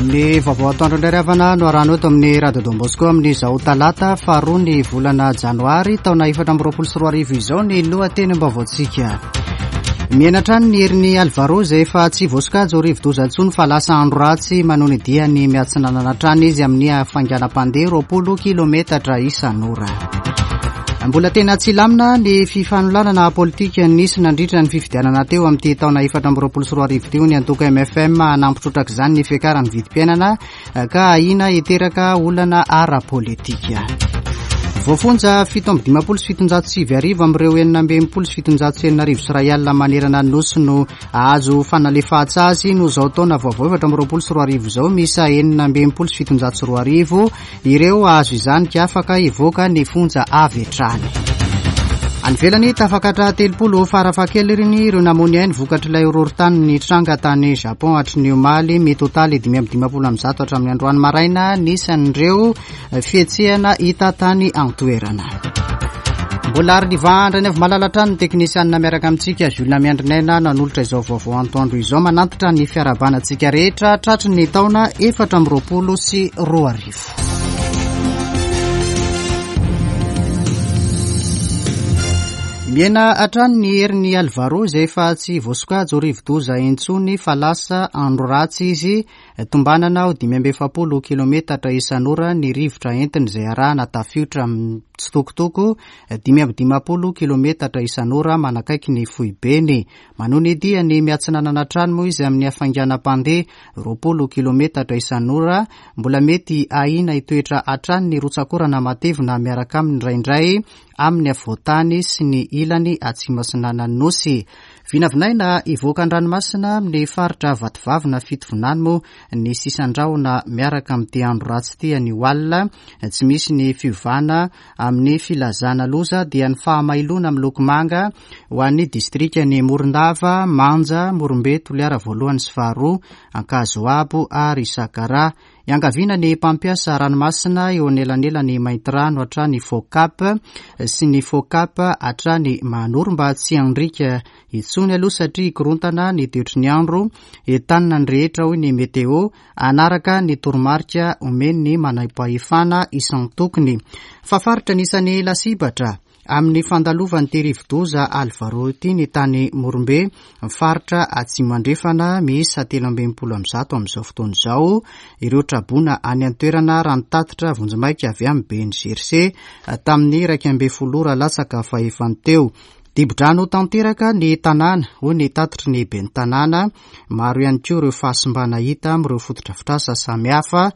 Ny vaovao atoandro indray ry havana no arahana eto amin'ny Radio Don Bosco amin'izao talata faharoa ny volana janoary taona 2024 izao ny lohatenim-baovaontsika. Mihena hatrany ny herin'i Alvaro izay efa tsy voasokajy ho rivodoza intsony fa lasa andro ratsy manohy ny diany miatsinanana hatrany izy amin'ny hafainganam-pandeha 20 kilometatra isan'ora. Mbola tena tsy lamina ny fifanolanana politika nisy nandritra ny fifidianana teo amin'ity taona 2024 ity hoy ny antoko MFM hanampy trotraka izany ny fiakaran'ny vidim-piainana ka ahiana hiteraka olana ara-politika. Voafonja 1757 amin'ireo 1766 manerana ny Nosy no ahazo fanalefahan-tsazy noho izao taona vaovao 2024 izao. Miisa 2066 ireo hahazo izany ka afaka hivoaka ny fonja avy hatrany. Any ivelany, tafakatra 30 farafahakeliny ireo namoy ny ainy vokatr'ilay horohorontany nitranga tany Japon hatry ny omaly. Mitotaly 155 hatramin'ny androany maraina ny isan'ireo fihetsehana hita tany an-toerana. Mbola ary nivandra ny avy malala hatrany ny teknisianina miaraka amintsika Jules Miandrinaina nanolotra izao vaovao antoandro izao manantitra ny fiarahabana antsika rehetra tratry ny taona 2024. Mihena hatrany ny herin'i Alvaro izay efa tsy voasokajy ho rivodoza intsony fa lasa andro ratsy izy. Tombanana ho 45 kilometatra isan'ora ny rivotra entiny izay arahana tafiotra mitsitokotoko 55 kilometatra isan'ora manakaiky ny foibeny. Manohy ny diany miatsinanana hatrany moa izy amin'ny hafainganam-pandeha 20 kilometatra isan'ora. Mbola mety ahiana hitoetra hatrany ny rotsak'orana matevina miaraka aminy indraindray amin'ny afovoan-tany sy ny ilany atsimo atsinanan'ny Nosy. Vinavinaina hivoaka an-dranomasina amin'ny faritra Vatovavy na Fitovinany moa ny sisan-drahona miaraka amin'ity andro ratsy ity anio alina. Tsy misy ny fiovana amin'ny filazana loza dia ny fahamailoana miloko manga ho an'ny distrikan'i Morondava, Manja, Morombe, Toliara voalohany sy faharoa, Ankazoabo ary Sakaraha. Iangaviana ny mpampiasa ranomasina eo anelanelan'i Maintirano hatrany Faux-Cap sy ny Faux-Cap hatrany Mahanoro mba tsy handriaka intsony aloha satria hikorontana ny toetry ny andro. Entanina ny rehetra hoy ny Météo hanaraka ny toromarika omen'ny manampahefana isan-tokony. Fa faritra anisan'ny lasibatra amin'ny fandalovan'ity rivodoza Alvaro ity ny tany Morombe, faritra Atsimo Andrefana, miisa 163 amin'izao fotoana izao ireo traboina any an-toerana raha ny tatitra vonjimaika avy amin'ny BNGRC tamin'ny 11 ora latsaka fahefany teo. Dibo-drano tanteraka ny tanàna, hoy ny tatitry ny ben'ny tanàna. Maro ihany koa ireo fahasimbana hita amin'ireo fotodrafitrasa samihafa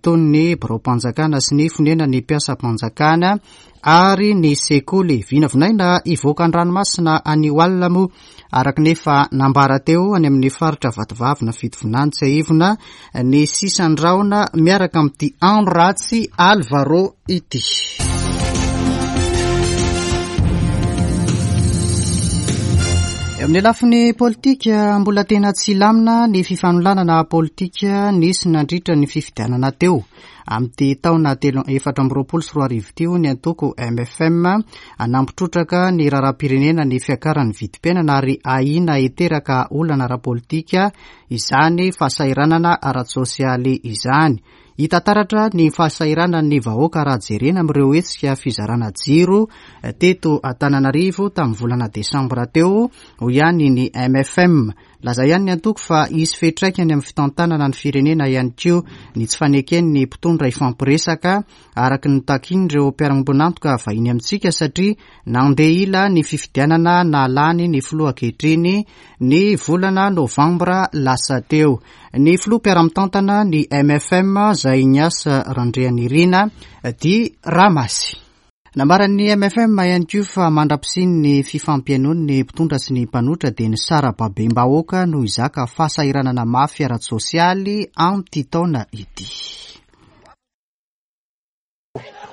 toy ny biraom-panjakana sy ny fonenan'ny mpiasam-panjakana ary ny sekoly. Vinavinaina hivoaka an-dranomasina anio alina moa araka ny efa nambara teo any amin'ny faritra Vatovavy na Fitovinany tsiahivina ny sisan-drahona miaraka amin'ity andro ratsy Alvaro ity. Eo amin'ny lafiny politika, mbola tena tsy lamina ny fifanolanana politika nisy nandritra ny fifidianana teo. Amin'ity taona telo 2024 ity hoy ny antoko MFM, hanampy trotraka ny raharaham-pirenena ny fiakaran'ny vidim-piainana ary ahiana hiteraka olana ara-politika izany fahasahiranana ara-tsosialy izany. Hita taratra ny fahasahiranan'ny vahoaka raha jerena amin'ireo hetsika fizarana jiro teto Antananarivo tamin'ny volana desambra teo, hoy ihany ny MFM. Laza ihany ny antoko fa hisy fiantraikany amin'ny fitantanana ny firenena ihany koa ny tsy faneken'ny mpitondra hifampiresaka araka ny takin'ireo mpiara-miombon'antoka vahiny amintsika satria nandeha ila ny fifidianana nahalany ny filoha ankehitriny ny volana novambra lasa teo. Ny filoha mpiara-mitantana ny MFM izay Ignace Randrianirina dit Ramasy. Nambaran'ny MFM ihany koa fa mandra-pisian'ny fifampihainoan'ny mpitondra sy ny mpanohitra dia ny sarababem-bahoaka no hizaka fahasahiranana mafy ara-tsosialy amin'ity taona ity.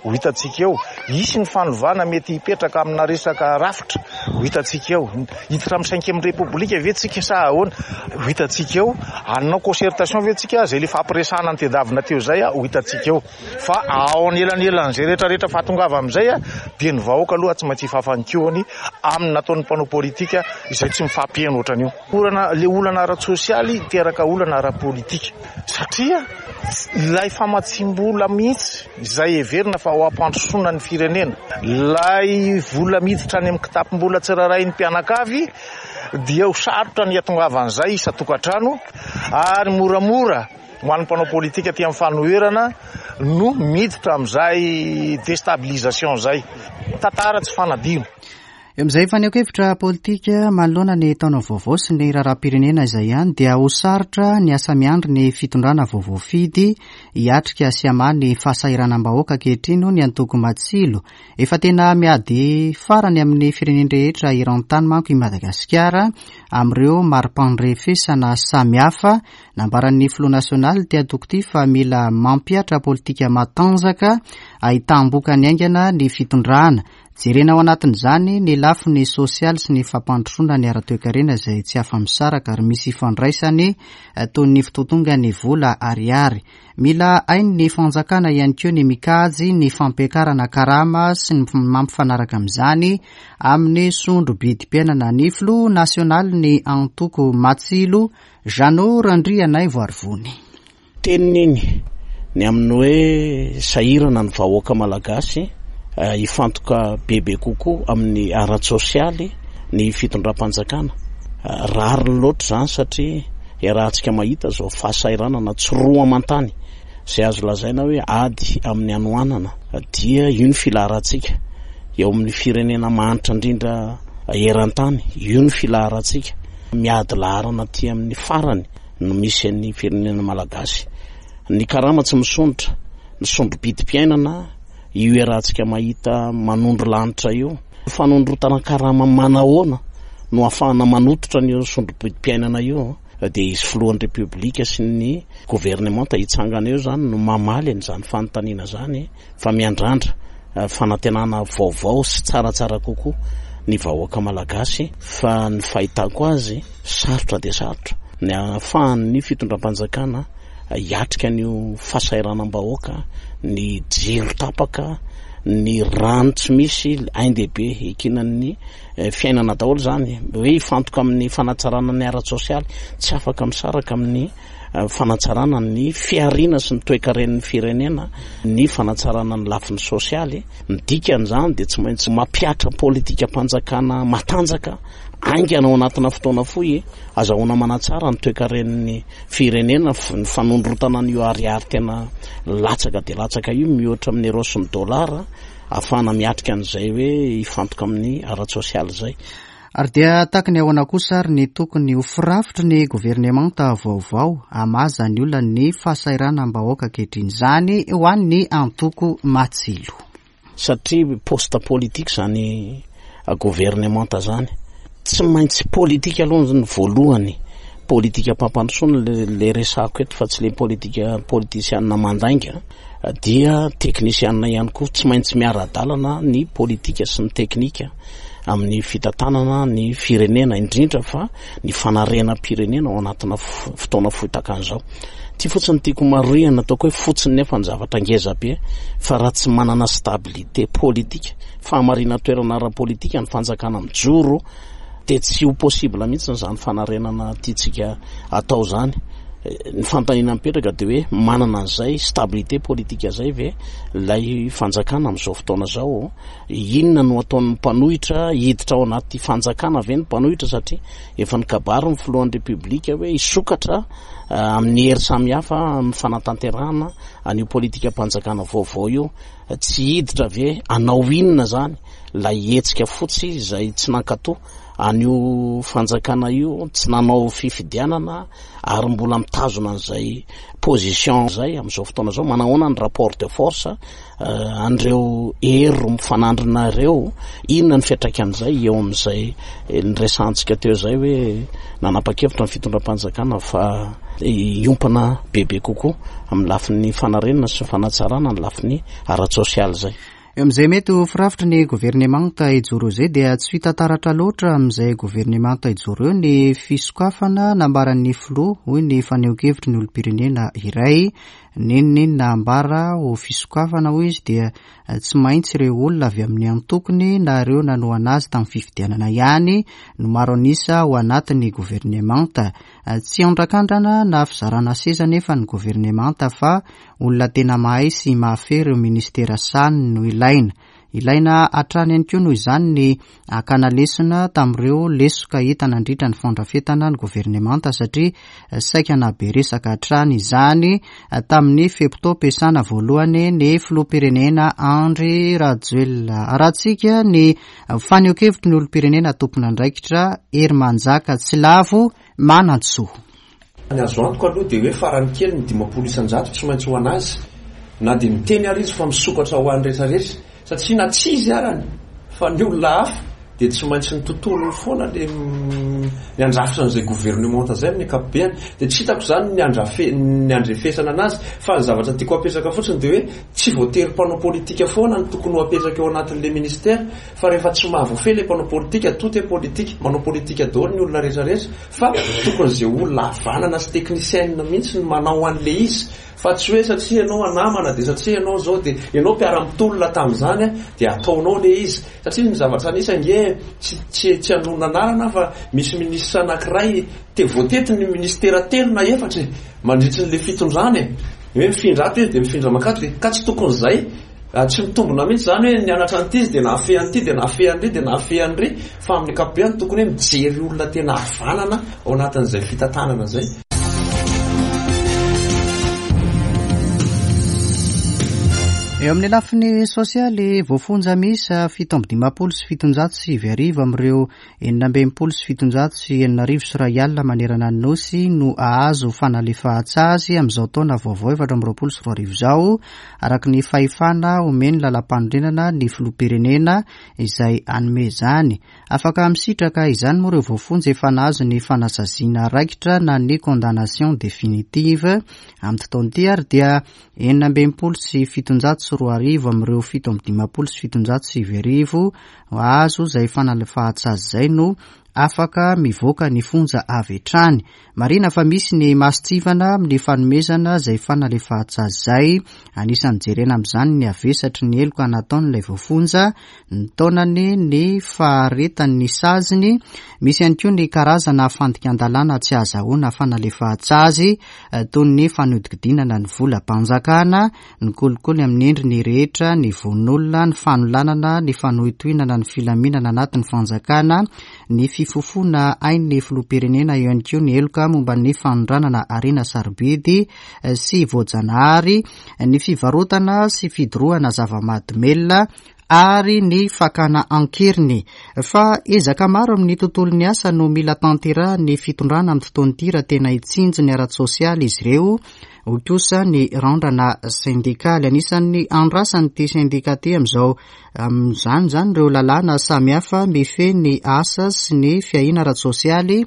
Ho hitantsika eo. Hisy ny fanovana mety hipetraka amina resaka rafitra. Ho hitantsika eo. Hiditra amin'ny cinquième république ve tsika sa ahoana? Ho hitantsika eo. Hanao concertation ve tsika? Izay le fampiresahana notedavina teo izay, ho hitantsika eo. Fa ao anelanelan'izay rehetra rehetra fahatongava amin'izay dia ny vahoaka aloha tsy maintsy hifafa ny kihony amin'ny nataon'ny mpanao politika izay tsy mifampiheno ohatran'io. Olana, le olana ara-tsosialy hiteraka olana ara-politika satria ilay famatsiam-bola mihitsy izay heverina fa ho hampandrosoana ny firenena, ilay vola miditra any amin'ny kitapom-bola tsirairay ny mpianakavy dia ho sarotra ny hatongavan'izay isan-tokantrano ary moramora ho an'ny mpanao politika aty amin'ny fanoherana no miditra amin'izay destabilisation izay. Tantara tsy fanadino. Eo amin'izay fanehoan-kevitra politika manoloana ny taona vaovao sy ny raharaham-pirenena izay ihany dia ho sarotra ny asa miandry ny fitondrana vao voafidy hiatrika sy hamaha ny fahasahiranam-bahoaka ankehitriny hoy ny antoko Matsilo. Efa tena miady farany amin'ny firenen-drehetra eran-tany manko i Madagasikara amin'ireo mari-pandrefesana samihafa. Nambaran'ny filoha nasionaly ity antoko ity fa mila mampihatra politika matanjaka ahitam-bokany haingana ny fitondrana. Jerena ao anatin'izany ny lafiny sosialy sy ny fampandrosoana ny ara-toekarena izay tsy afa-misaraka ary misy ifandraisany toy ny fitotongan'ny vola ariary. Mila hain'ny fanjakana ihany koa ny mikajy ny fampiakarana karama sy ny mampifanaraka amin'izany amin'ny sondro-bidim-piainana. Ny filoha nasionalin'ny antoko Matsilo, Jeannot Randrianaivoarivony. Teniny iny ny amin'ny hoe sahirana ny vahoaka malagasy, hifantoka bebe kokoa amin'ny ara-tsosialy ny fitondram-panjakana. Rariny loatra izany satria iarahantsika mahita izao fahasahiranana tsy roa aman-tany izay azo lazaina hoe ady amin'ny hanoanana dia io ny filaharantsika eo amin'ny firenena mahantra indrindra eran-tany, io ny filaharantsika miady laharana aty amin'ny farany. no misy an'ny firenena malagasy. Ny karama tsy misondrotra, ny sondro-bidim-piainana io iarahantsika mahita manondro lanitra io. Fanondrotana karama manahoana no ahafahana manototra an'io sondro-bidim-piainana io? Dia izy filohan'ny Repoblika sy ny governemanta hitsangana eo izany no mamaly an'izany fanontaniana izany fa miandrandra fanantenana vaovao sy tsaratsara kokoa ny vahoaka malagasy fa ny fahitako azy sarotra dia sarotra ny ahafahan'ny fitondram-panjakana hiatrika an'io fahasahiranam-bahoaka, ny jiro tapaka, ny rano tsy misy, ain-dehibe iankinan'ny fiainana daholo izany, hoe hifantoka amin'ny fanatsarana ny ara-tsosialy, tsy afaka misaraka amin'ny fanatsarana ny fihariana sy ny toekaren'ny firenena, ny fanatsarana ny lafiny sosialy. Ny dikan'izany dia tsy maintsy mampihatra politikam-panjakana matanjaka haingana ao anatina fotoana fohy, azahoana manatsara ny toekaren'ny firenena, ny fanondrotana an'io ariary tena latsaka dia latsaka io mihoatra amin'ny euros sy ny dollars, ahafahana miatrika an'izay hoe hifantoka amin'ny ara-tsosialy izay. Ary dia tahaka ny ahoana kosa ary ny tokony ho firafitry ny governemanta vaovao hamaza ny olan'ny fahasahiranam-bahoaka ankehitriny izany ho an'ny antoko Matsilo? Satria poste politique izany governemanta izany. Tsy maintsy politique aloha ny voalohany. Politikam-pampandrosoana le resahako eto fa tsy le politika politisiana mandainga dia teknisiana ihany koa. Tsy maintsy miara-dalana ny politika sy ny teknika. amin'ny fitantanana ny firenena, indrindra fa ny fanarenam-pirenena ao anatina fotoana fohy tahaka an'izao. Ity fotsiny no tiako marihana, ataoko hoe fotsiny nefa ny zavatra ngeza be, fa raha tsy manana stabilité politique, fahamarinan-toerana ara-politika ny fanjakana mijoro, dia tsy ho possible mihitsy izany fanarenana tiantsika atao izany. Ny fanontaniana mipetraka dia hoe manana an'izay stabilité politique izay ve ilay fanjakana amin'izao fotoana izao? Inona no ataon'ny mpanohitra? Hiditra ao anaty fanjakana ve ny mpanohitra satria efa nikabary ny filohan'ny Repoblika hoe hisokatra amin'ny hery samihafa amin'ny fanatanterahana an'io politikam-panjakana vaovao io. Tsy hiditra ve? Hanao inona izany ilay hetsika fotsy izay tsy nankatoa? an'io fanjakana io, tsy nanao fifidianana ary mbola mitazona an'izay position izay amin'izao fotoana izao, manahoana ny rapport de force an'ireo hery mifanandrina ireo, inona ny fiantraikan'izay eo amin'izay niresahantsika teo izay hoe nanapa-kevitra ny fitondram-panjakana fa hiompana bebe kokoa amin'ny lafiny fanarenana sy fanatsarana ny lafiny ara-tsosialy izay. Eo amin'izay mety ho firafitry ny governemanta hijoro izay dia tsy hita taratra loatra amin'izay governemanta hijoro eo ny fisokafana nambaran'ny filoha, hoy ny fanehoan-kevitry ny olom-pirenena iray. N'inon'inona ambara ho fisokafana, hoy izy, dia tsy maintsy ireo olona avy amin'ny antokony na ireo nanohana azy tamin'ny fifidianana ihany no maro an'isa ao anatin'ny governemanta. Tsy andrakandrana na fizarana seza anefa ny governemanta fa olona tena mahay sy mahafehy ireo minisitera sahaniny no ilaina. Ilaina hatrany ihany koa noho izany ny hakana lesona tamin'ireo lesoka hita nandritra ny fandrafetana ny governemanta satria saika nahabe resaka hatrany izany tamin'ny fe-potoam-piasana voalohany ny filoham-pirenena Andry Rajoelina. Arahantsika ny fanehoan-kevitry ny olom-pirenena tompon'andraikitra Herimanjaka Tsilavo Manantsoa. Ny azo antoka aloha dia hoe farany kely ny 50% tsy maintsy ho an'azy na dia miteny ary izy fa misokatra ho an'ny rehetra rehetra satria na tsy izy arany fa ny olona hafa dia tsy maintsy ny tontolony foana le ny andrafitra an'izay gouvernementa izay amin'ny ankapobeany dia tsy hitako izany ny andrafe ny andrefesana anazy fa ny zavatra tiako apetraka fotsiny dia hoe tsy voatery mpanao politika foana no tokony ho apetraka eo anatin'le ministère fa rehefa tsy mahavoafehy le mpanao politika tout est politique manao politika daholo ny olona rehetra rehetra Fa tokony ze olona havanana sy technicienne mihitsy no manao anle izy fa tsy hoe satria ianao namana de satria ianao zao de ianao mpiara-mitolona tamin'izany de ataonao le izy satria ny zavatra nisy ange tsy tsy tsy hanonona anarana aho fa misy ministre anakiray te voatety ny ministera telo na efatra e mandritry ny le fitondrana e hoe mifindra ato izy de mifindra mankato de ka tsy tokony zay Tsy mitombina mihitsy izany hoe nianatra an'ity izy dia nahafehy an'ity dia nahafehy an'ry dia nahafehy an'ry fa amin'ny ankapobeny tokony hoe mijery olona tena havanana ao anatin'izay fitantanana izay. Eo amin'ny lafiny sosialy, voafonja miisa 1757 amin'ireo 6766 manerana ny Nosy no hahazo fanalefahan-tsazy amin'izao taona vaovao 2024 izao, araka ny fahefana omen'ny lalàmpanorenana ny filoham-pirenena izay hanome izany. Afaka misitraka izany moa ireo voafonja efa nahazo ny fanasaziana raikitra na ny condamnation définitive amin'ity taona ity ary dia 2766 amin'ireo 1757 hahazo izay fanalefahan-tsazy izay no afaka mivoaka ny fonja avy hatrany. Marihina fa misy ny mason-tsivana amin'ny fanomezana izay fanalefahan-tsazy izay. Anisan'ny jerena amin'izany ny havesatry ny heloka nataon'ilay voafonja, ny taonany, ny faharetan'ny saziny. Misy ihany koa ny karazana fandikan-dalàna tsy ahazahoana fanalefahan-tsazy toy ny fanodinkodinana ny volam-panjakana, ny kolikoly amin'ny endriny rehetra, ny vono olona, ny fanolanana, ny fanohintohinana ny filaminana anatin'ny fanjakana, ny fifofoana ain'ny filoham-pirenena, eo ihany koa ny heloka momba ny fanondranana harena sarobidy sy voajanahary, ny fivarotana sy fidorohana zava-mahadomelina ary ny fakana an-keriny. Fa ezaka maro amin'ny tontolon'ny asa no mila tanterahan'ny fitondrana amin'ity taona ity raha tena hitsinjo ny ara-tsosialy izy ireo, hoy kosa ny randrana sendikaly. Anisan'ny andrasan'ity sendika ity amin'izao amin'izany izany ireo lalàna samihafa mifehy ny asa sy ny fiahiana ara-tsosialy,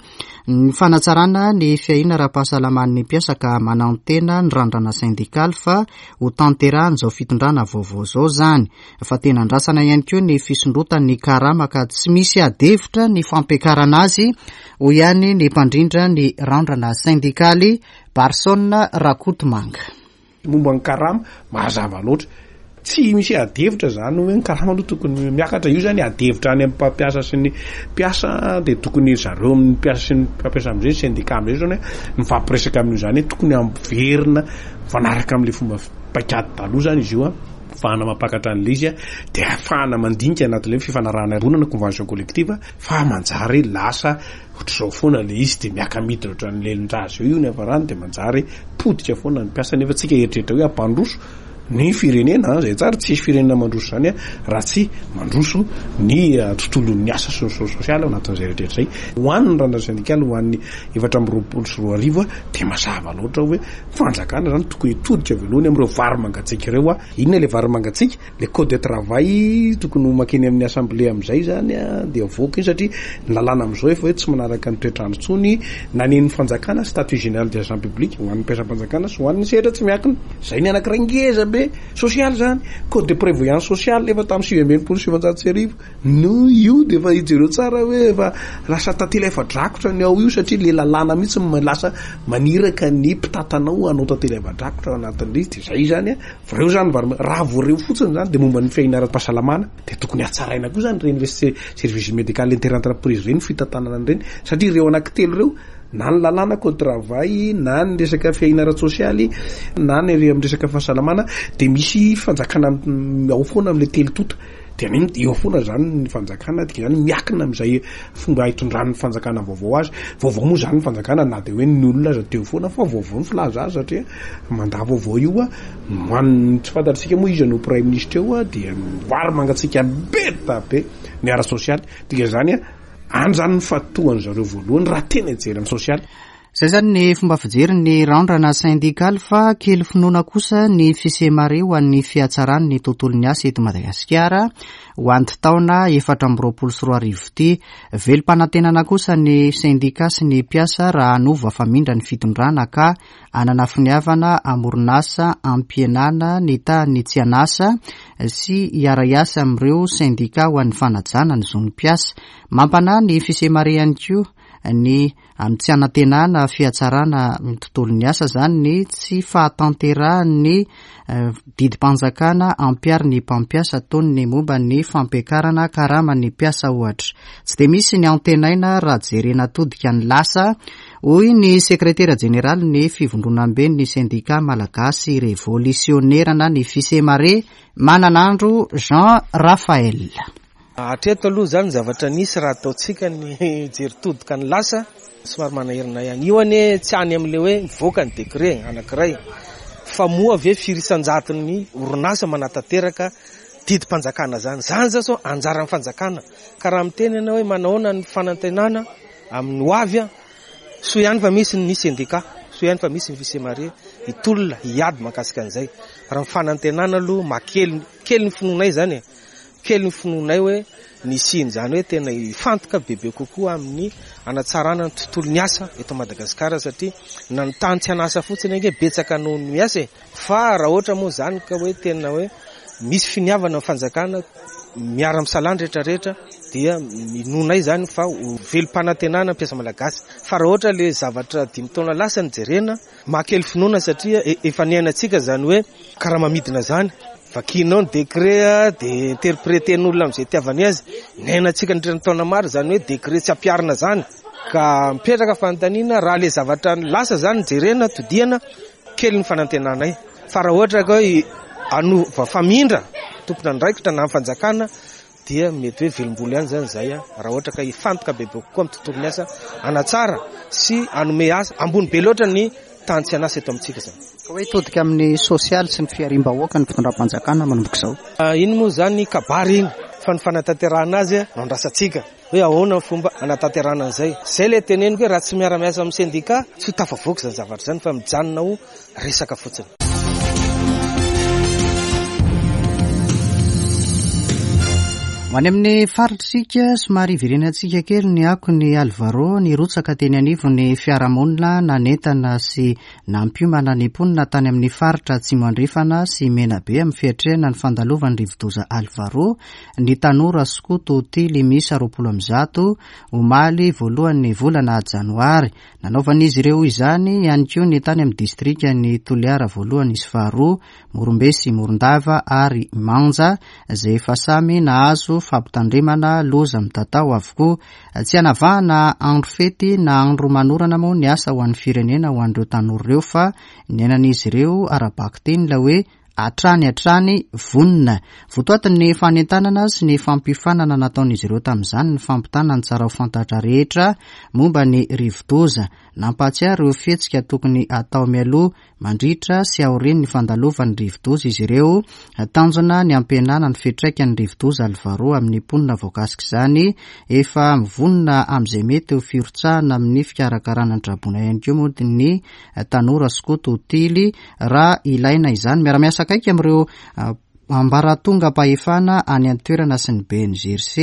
ny fanatsarana ny fiahiana ara-pahasalaman'ny mpiasa ka manantena ny randrana sendikaly fa ho tanterahan'izao fitondrana vaovao izao izany. Fa tena andrasana ihany koa ny fisondrotan'ny karama ka tsy misy adihevitra ny fampiakarana azy, hoy ihany ny mpandrindra ny randrana sendikaly, Barson Rakotomanga. Momba ny karama, mazava loatra. Tsy misy adihevitra izany hoe ny karama aloha tokony miakatra. Io izany adihevitra any amin'ny mpampiasa sy ny mpiasa dia tokony zareo amin'ny mpiasa sy ny mpampiasa amin'izay, ny syndicat amin'izay izany hoe mifampiresaka amin'io izany hoe tokony hampiverina mifanaraka amin'ilay fomba paikady taloha izany izy io an, ahafahana mampakatra an'ilay izy an, dia ahafahana mandinika anatin'ilay hoe fifanarahana iombonana, convention collective, fa manjary lasa ohatr'izao foana ilay izy dia miaka-midina ohatran'ny lelon-jaza eo io ny hafarany dia manjary potika foana ny mpiasa nefa tsika eritreritra hoe hampandroso. Ny firenena, izay tsara, tsisy firenena mandroso izany raha tsy mandroso ny tontolon'ny asa sy ny sosialy ao anatin'izay rehetra izay. Ho an'ny randrana sendikaly ho an'ny 2024 dia mazava loatra hoe fanjakana izany tokony hitodika voalohany amin'ireo vary mangatsiaka ireo. Inona ilay vary mangatsiaka? Ilay code de travail tokony ho makeny amin'ny assemblée amin'izay izany dia avoaka iny satria ny lalàna amin'izao efa hoe tsy manaraka ny toetr'andro intsony na ny an'ny fanjakana, statut général des agents publics ho an'ny mpiasam-panjakana sy ho an'ny sehatra tsy miankina. Izay ny anankiray ngeza be sosialy izany. Code de prévoyance sociale efa tamin'ny 1969 no io dia efa jereo tsara hoe efa lasa tantely afa-drakotra ny ao io satria ilay lalàna mihitsy no lasa maniraka ny mpitantana ao hanao tantely afa-drakotra ao anatin'ilay izy dia izay izany. Ireo izany vary raha vao ireo fotsiny izany dia momba ny fiahiana ara-pahasalamana dia tokony hatsaraina koa izany ireny le service médical inter-entreprise ireny fitantanana an'ireny satria ireo anankitelo ireo na ny lalàna code travail na ny resaka fiahiana ara-tsosialy na ny amin'ny resaka fahasalamana dia misy fanjakana ao foana amin'ilay telo tonta. Dia ny eo foana izany ny fanjakana, dia izany miakina amin'izay fomba hitondran'ny fanjakana vaovao azy. Vaovao moa izany ny fanjakana na dia hoe ny olona aza teo foana fa vaovao ny filaza azy satria mandat vaovao io a, ho an'ny tsy fantatsika moa iza no praiminisitra eo a, dia vary mangatsiaka be da be ny ara-tsosialy. Dikan'izany a, any izany ny fatohan'ny zareo voalohany raha tena hijery ny sosialy. Izay izany ny fomba fijery ny randrana sendikaly fa kely finoana kosa ny Fisemare ho an'ny fihatsaran'ny tontolon'ny asa eto Madagasikara ho an'ity taona 2024 ity. Velom-panantenana kosa ny sendika sy ny mpiasa raha hanova famindra ny fitondrana ka hanana finiavana hamoron'asa hampihenana ny tahan'ny tsy an'asa sy hiara-hiasa amin'ireo sendika ho an'ny fanajana ny zon'ny mpiasa. Mampanahy ny Fisemare ihany koa ny Amin'ny tsy hanantenana fihatsarana ny tontolon'ny asa izany ny tsy fahatanterahan'ny didim-panjakana ampiharin'ny mpampiasa toy ny momba ny fampiakarana karaman'ny mpiasa ohatra. Tsy dia misy ny antenaina raha jerena todika ny lasa, hoy ny sekretera jeneralin'ny fivondronamben'ny sendika malagasy revolisionera na ny Fisemare, Mananandro Jean Raphaël. Hatreto aloha izany ny zavatra nisy raha ataontsika ny jery todika ny lasa somary manahirana ihany. Io anie tsy any amin'ilay hoe mivoaka ny décret anankiray fa moa ve firy isan-jaton'ny orinasa manatanteraka didim-panjakana izany. Izany izao sao anjaran'ny fanjakana ka raha miteny ianao hoe manahoana ny fanantenana amin'ny ho avy, soa ihany fa misy ny sendika, soa ihany fa misy ny Fisemare hitolona hiady mahakasika an'izay. Raha ny fanantenana aloha mahakely kely ny finoanay izany e. Kely ny finoanay hoe ny hisian'izany hoe tena hifantoka bebe kokoa amin'ny hanatsarana ny tontolon'ny asa eto Madagasikara satria na ny tany tsy an'asa fotsiny ange betsaka noho ny miasa e! Fa raha ohatra moa izany ka hoe tena hoe misy finiavana ny fanjakana miara-misalahy ny rehetra rehetra dia inoanay izany fa ho velom-panantenana ny mpiasa malagasy. Fa raha ohatra ilay zavatra dimy taona lasa no jerena, Mahakely finoana satria efa niainantsika izany hoe karama midina izany. Vakianao ny décret dia interpreter-n'olona amin'izay itiavany azy. Niainantsika nandritra ny taona maro izany hoe décret tsy ampiharina izany. Ka mipetraka fanontaniana raha ilay zavatra lasa izany no jerena, todihana, kely ny fanantenanay. Fa raha ohatra ka hoe hanova famindra tompon'andraikitra na ny fanjakana dia mety hoe velom-bolo ihany izany izahay raha ohatra ka hifantoka bebe kokoa amin'ny tontolon'ny asa hanatsara sy hanome asa ambony be loatra ny tany tsy an'asa eto amintsika izany. Ka hoe hitodika amin'ny sosialy sy ny fihariam-bahoaka ny fitondram-panjakana manomboka izao. Iny moa izany kabary iny fa ny fanatanterahana azy no andrasantsika hoe ahoana ny fomba hanatanterahana an'izay. Izay ilay teneniko hoe raha tsy miara-miasa amin'ny sendika tsy ho tafavoaka izany zavatra izany fa mijanona ho resaka fotsiny. Ho any amin'ny faritr'isika, somary hiverenantsika kely ny akon'i Alvaro nirotsaka teny anivon'ny fiarahamonina nanentana sy nampiomana ny mponina tany amin'ny faritra Atsimo Andrefana sy Menabe amin'ny fiatrehana ny fandalovan'ny rivodoza Alvaro ny tanora skoto tily miisa 120 omaly voalohan'ny volana janoary. Nanaovan'izy ireo izany ihany koa ny tany amin'ny distrikan'i Toliara voalohany sy faharoa, Morombe sy Morondava ary Manja, izay efa samy nahazo fampitandremana loza mitatao avokoa. Tsy hanavahana andro fety na andro manorana moa ny asa ho an'ny firenena ho an'ireo tanora ireo fa niainan'izy ireo ara-bakiteny ilay hoe. hatrany hatrany vonona. Votoatin'ny fanentanana sy ny fampiofanana nataon'izy ireo tamin'izany ny fampitana ny tsara ho fantatra rehetra momba ny rivodoza. Nampahatsiahy ireo fihetsika tokony hatao mialoha, mandritra sy aorian'ny fandalovan'ny rivodoza izy ireo. Tanjona ny hampihenana ny fiantraikan'ny rivodoza Alvaro amin'ny mponina voakasik'izany. Efa mivonona amin'izay mety ho firotsahana amin'ny fikarakarana ny traboina ihany koa moa ny tanora skoto tily raha ilaina izany. Miara-miasa akaiky amin'ireo ambaratongam-pahefana any an-toerana sy ny BNGRC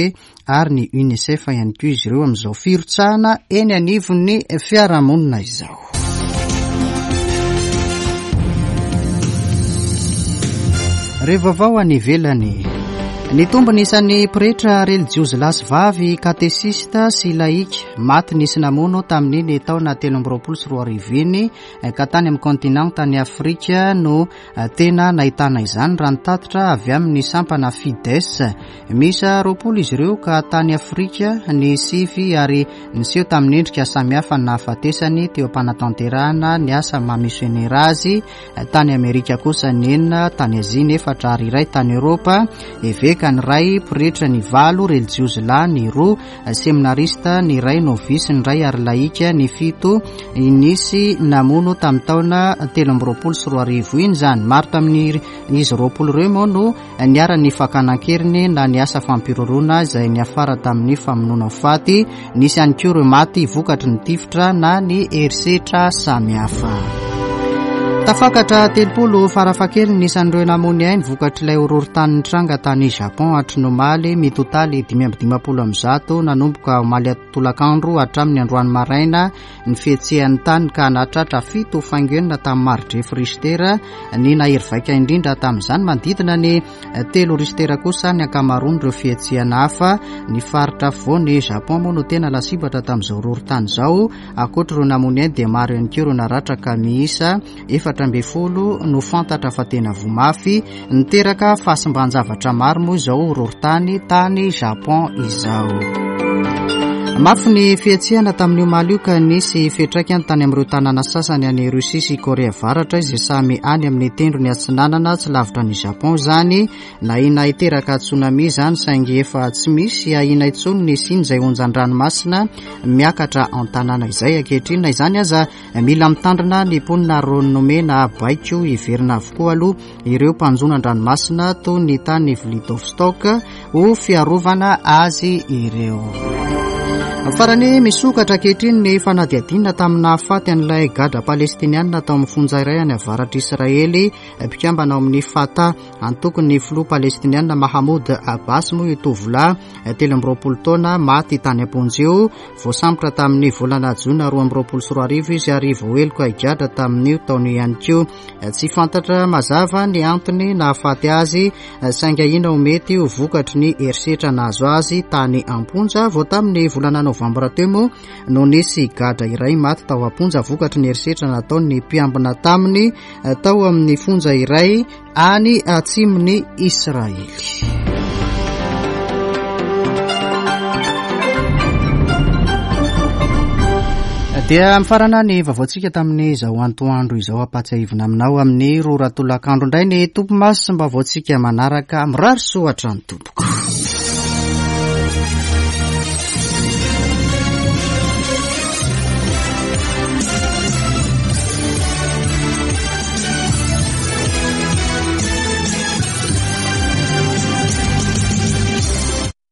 ary ny UNICEF ihany koa izy ireo amin'izao firotsahana eny anivon'ny fiarahamonina izao. Re vaovao any ivelany. Nitombo ny isan'ny pretra relijiozy lahy sy vavy, katesista sy laika maty nisy namono tamin'iny taona 2023 iny ka tany amin'ny kontinantan'i Afrika no Tena nahitana izany raha ny tatitra avy amin'ny sampana Fides. Miisa 20 izy ireo ka tany Afrika ny sivy ary niseho tamin'ny endrika samihafa ny nahafatesany teo am-panatanterahana ny asa maha misionera azy. Tany Amerika kosa ny enina, tany Azia ny efatra ary iray tany Eoropa. Eveka ny iray, pretra ny valo, relijiozy lahy ny roa, Seminarista ny iray, novisy ny iray ary lahika ny fito nisy namono tamin'ny taona 2023 iny izany. Maro tamin'izy 20 ireo moa no niharan'ny fakana an-keriny na ny asa fampiroroana izay niafara tamin'ny famonoana ho faty. Nisy ihany koa ireo maty vokatry ny tifitra na ny herisetra samihafa. Tafakatra 30 farafahakeliny ny isan'ireo namoy ny ainy vokatr'ilay horohorontany nitranga tany Japon hatry ny omaly, mitotaly 155 nanomboka omaly tolakandro hatramin'ny androany maraina ny fihetsehan'ny tany ka nahatratra fito faingo enina tamin'ny mari-drefy Richter ny nahery vaika indrindra tamin'izany. Manodidina ny telo Richter kosa ny ankamaroan'ireo fihetsehana hafa. Ny faritra afovoan'i Japon moa no tena lasibatra tamin'izao horohorontany izao. Ankoatra ireo namoy ny ainy dia maro ihany koa ireo naratra ka miisa 14 no fantatra fa tena voa mafy. Niteraka fahasimban-javatra maro moa izao horohorontany tany Japon izao. Mafy ny fihetsehana tamin'io omaly io ka nisy fiantraikany tany amin'ireo tanàna sasany any Russie sy Korea Avaratra izay samy any amin'ny tendrony atsinanana tsy lavitra an'i Japon izany. Nahina hiteraka tsunami izany saingy efa tsy misy ahiana intsony ny hisian'izay onjan-dranomasina miakatra an-tanàna izay ankehitriny. Na izany aza, mila mitandrina ny mponina ary nomena baiko hiverina avokoa aloha ireo mpanjono an-dranomasina toy ny tany Vladivostok ho fiarovana azy ireo. Farany, misokatra ankehitriny ny fanadihadiana tamin'ny nahafaty an'ilay gadra palestinianina tao amin'ny fonja iray any avaratr'Israely, mpikambana ao amin'ny Fatah. Antokon'ny filoha palestiniana Mahmoud Abbas moa io tovolahy 23 taona maty tany am-ponja io. Voasambotra tamin'ny volana jona 2022 izy ary voaheloka higadra tamin'io taona io ihany koa. Tsy fantatra mazava ny antony nahafaty azy saingy ahiana ho mety ho vokatry ny herisetra nahazo azy tany am-ponja. Vao tamin'ny volana novambra teo moa no nisy gadra iray maty tao am-ponja vokatry ny herisetra nataon'ny mpiambina taminy tao amin'ny fonja iray any atsimon'i Israely. Dia mifarana ny vaovaontsika tamin'izao antoandro izao. Ampahatsiahivina aminao amin'ny roa ora tolakandro indray ny topimaso sy ny vaovaontsika manaraka. Mirary soa hatrany tompoko.